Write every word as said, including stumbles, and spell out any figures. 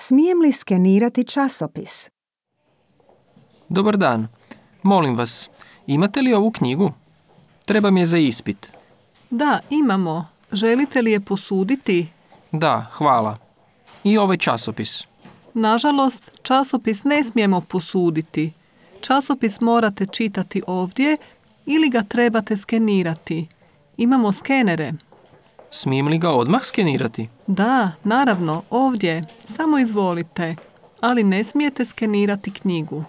Smijem li skenirati časopis? Dobar dan. Molim vas, imate li ovu knjigu? Treba mi je za ispit. Da, imamo. Želite li je posuditi? Da, hvala. I ovaj časopis. Nažalost, časopis ne smijemo posuditi. Časopis morate čitati ovdje ili ga trebate skenirati. Imamo skenere. Smijem li ga odmah skenirati? Da, naravno, ovdje. Samo izvolite. Ali ne smijete skenirati knjigu.